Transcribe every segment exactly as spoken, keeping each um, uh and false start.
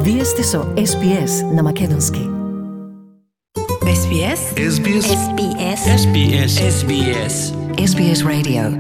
Вие сте со Ес Би Ес на македонски. Ес Би Ес? Ес Би Ес? Ес Би Ес? Ес Би Ес? Ес Би Ес? Ес Би Ес Radio.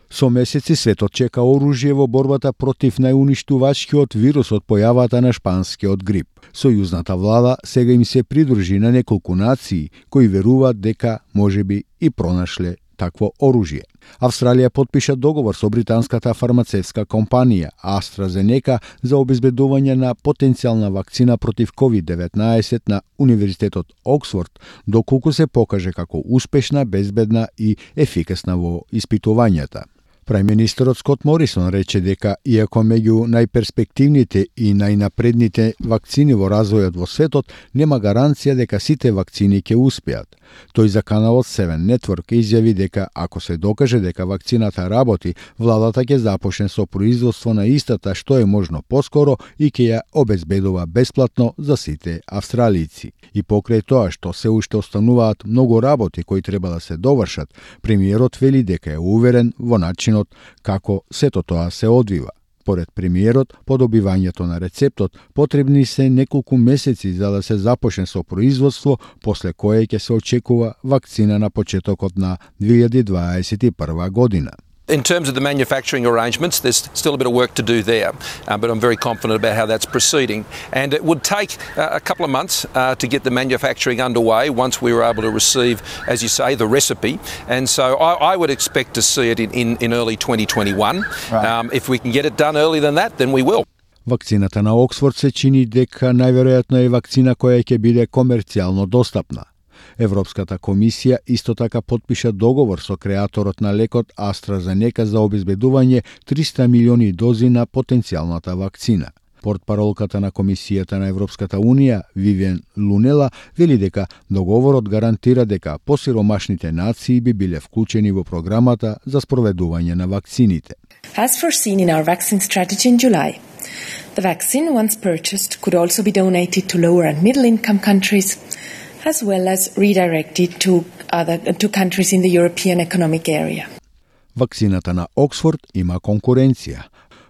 Со месеци светот чека оружје во борбата против најуништувачкиот вирус од појавата на шпанскиот грип. Сојузната влада сега им се придружи на неколку нации кои веруваат дека можеби и пронашле такво оружје. Австралија потпиша договор со британската фармацевтска компанија AstraZeneca за обезбедување на потенцијална вакцина против ковид деветнаесет на Универзитетот Оксфорд, доколку се покаже како успешна, безбедна и ефикасна во испитувањата. Прајм-министерот Скот Морисон рече дека иако меѓу најперспективните и најнапредните вакцини во развојот во светот, нема гаранција дека сите вакцини ќе успеат. Тој за каналот Seven Network изјави дека ако се докаже дека вакцината работи, владата ќе започне со производство на истата што е можно поскоро и ќе ја обезбедува бесплатно за сите австралици. И покрај тоа што се уште остануваат многу работи кои треба да се довршат, премиерот вели дека е уверен во начин како сето тоа се одвива. Поред премиерот, по добивањето на рецептот потребни се неколку месеци за да се започне со производство, после кое ќе се очекува вакцина на почетокот на две илјади дваесет и прва година. In terms of the manufacturing arrangements, there's still a bit of work to do there, uh, but I'm very confident about how that's proceeding. And it would take uh, a couple of months uh, to get the manufacturing underway once we were able to receive, as you say, the recipe. And so I, I would expect to see it in, in, in early twenty twenty-one. Right. Um, if we can get it done earlier than that, then we will. Вакцината на Оксфорд се чини дека најверојатно е вакцина која ќе биде комерцијално достапна. Европската комисија исто така потпиша договор со креаторот на лекот AstraZeneca за обезбедување триста милиони дози на потенцијалната вакцина. Портпаролката на Комисијата на Европската Унија, Вивиан Лунела, вели дека договорот гарантира дека посиромашните нации би биле вклучени во програмата за спроведување на вакцините. As foreseen in our vaccine strategy in July, the vaccine, once purchased, could also be donated to lower and middle income countries, as well as redirected to other to countries in the European Economic Area. Вакцината на Оксфорд има конкуренција.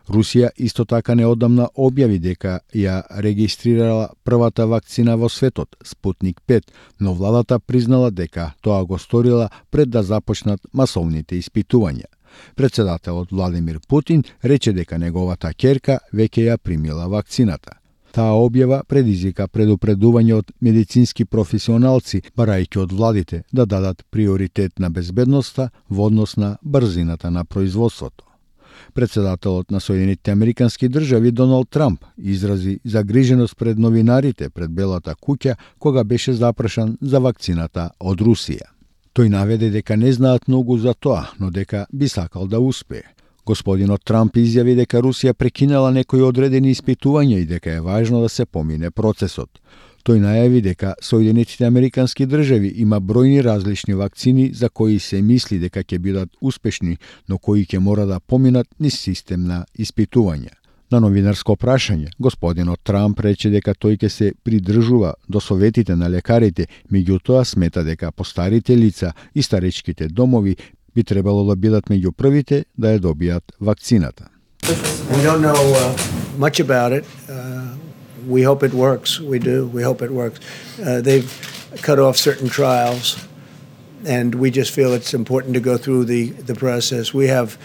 Русија исто така неодамна објави дека ја регистрирала првата вакцина во светот, Спутник пет, но владата признала дека тоа го сторила пред да започнат масовните испитувања. Председателот Владимир Путин рече дека неговата ќерка веќе ја примила вакцината. Таа објава предизвика предупредување од медицински професионалци, барајќи од владите да дадат приоритет на безбедноста во однос на брзината на производството. Председателот на Соединетите Американски држави Доналд Трамп изрази загриженост пред новинарите пред Белата куќа кога беше запрашан за вакцината од Русија. Тој наведе дека не знаат многу за тоа, но дека би сакал да успее. Господинот Трамп изјави дека Русија прекинала некои одредени испитувања и дека е важно да се помине процесот. Тој најави дека Соединетите Американски држави има бројни различни вакцини за кои се мисли дека ќе бидат успешни, но кои ќе мора да поминат низ систем на испитувања. На новинарско прашање, господинот Трамп рече дека тој ќе се придржува до советите на лекарите, меѓутоа смета дека постарите лица и старечките домови би требало да бидат меѓу првите да ја добијат вакцината. We don't know uh, much about it. Uh, we hope it works. We do. We hope it works. Uh, they've cut off certain trials, and we just feel it's important to go through the, the process. We have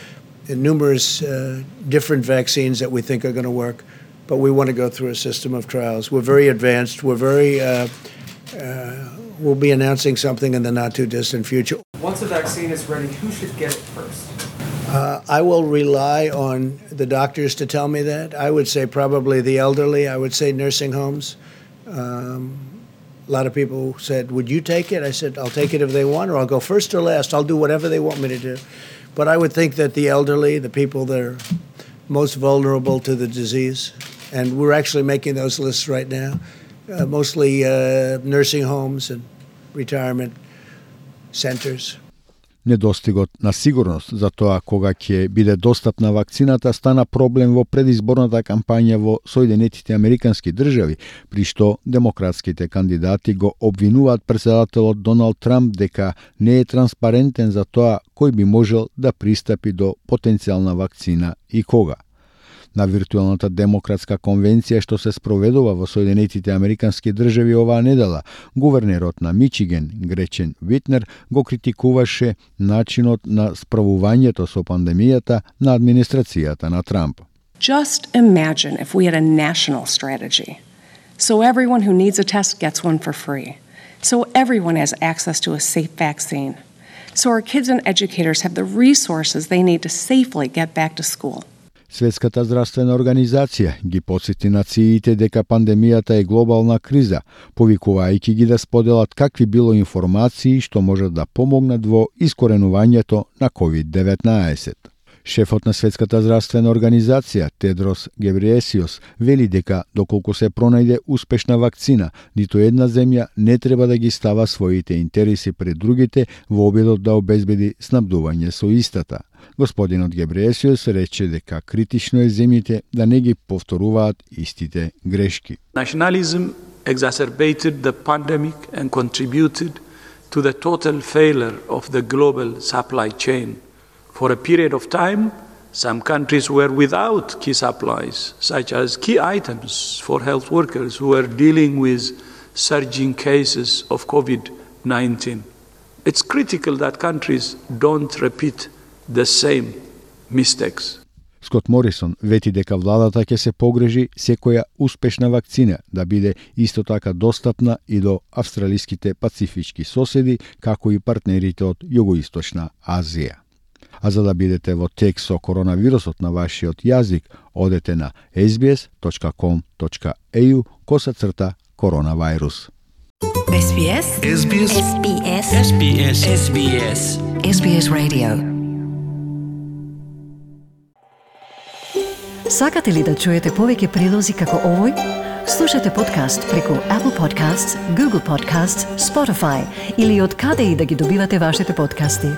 numerous uh, different vaccines that we think are going to work, but we want to go through a system of trials. We're very advanced. We're very... Uh, uh, we'll be announcing something in the not-too-distant future. Once the vaccine is ready, who should get it first? Uh, I will rely on the doctors to tell me that. I would say probably the elderly. I would say nursing homes. Um, a lot of people said, would you take it? I said, I'll take it if they want, or I'll go first or last. I'll do whatever they want me to do. But I would think that the elderly, the people that are most vulnerable to the disease, and we're actually making those lists right now, uh, mostly uh, nursing homes and retirement centers. Недостигот на сигурност за тоа кога ќе биде достапна вакцината стана проблем во предизборната кампања во Соединетите Американски држави, при што демократските кандидати го обвинуваат председателот Доналд Трамп дека не е транспарентен за тоа кој би можел да пристапи до потенцијална вакцина и кога. На виртуелната демократска конвенција што се спроведува во Соединетите Американски држави оваа недела, гувернерот на Мичиген, Гречен Витнер, го критикуваше начинот на справувањето со пандемијата на администрацијата на Трамп. Just imagine if we had a national strategy. So everyone who needs a test gets one for free. So everyone has access to a safe vaccine. So our kids and educators have the resources they need to safely get back to school. Светската здравствена организација ги потсети нациите дека пандемијата е глобална криза, повикувајќи ги да споделат какви било информации што можат да помогнат во искоренувањето на ковид деветнаесет. Шефот на Светската здравствена организација, Тедрос Гебреесиос, вели дека доколку се пронајде успешна вакцина, ниту една земја не треба да ги става своите интереси пред другите во обидот да обезбеди снабдување со истата. Господинот Гебреесиос рече дека критично е земјите да не ги повторуваат истите грешки. Nationalism exacerbated the pandemic and contributed to the total failure of the global supply chain. For a period of time, some countries were without key supplies, such as key items for health workers who were dealing with surging cases of COVID nineteen. It's critical that countries don't repeat the same mistakes. Скот Морисон вети дека владата ќе се погрежи секоја успешна вакцина да биде исто така достапна и до австралиските пацифички соседи, како и партнерите од Југоисточна Азија. А за да бидете во тек со коронавирусот на вашиот јазик, одете на ес би ес точка ком точка е ю косацрта коронавирус. ес би ес ес би ес ес би ес ес би ес ес би ес ес би ес Radio. Сакате ли да чуете повеќе прилози како овој? Слушате подкаст преку Apple Podcasts, Google Podcasts, Spotify или од каде и да ги добивате вашите подкасти.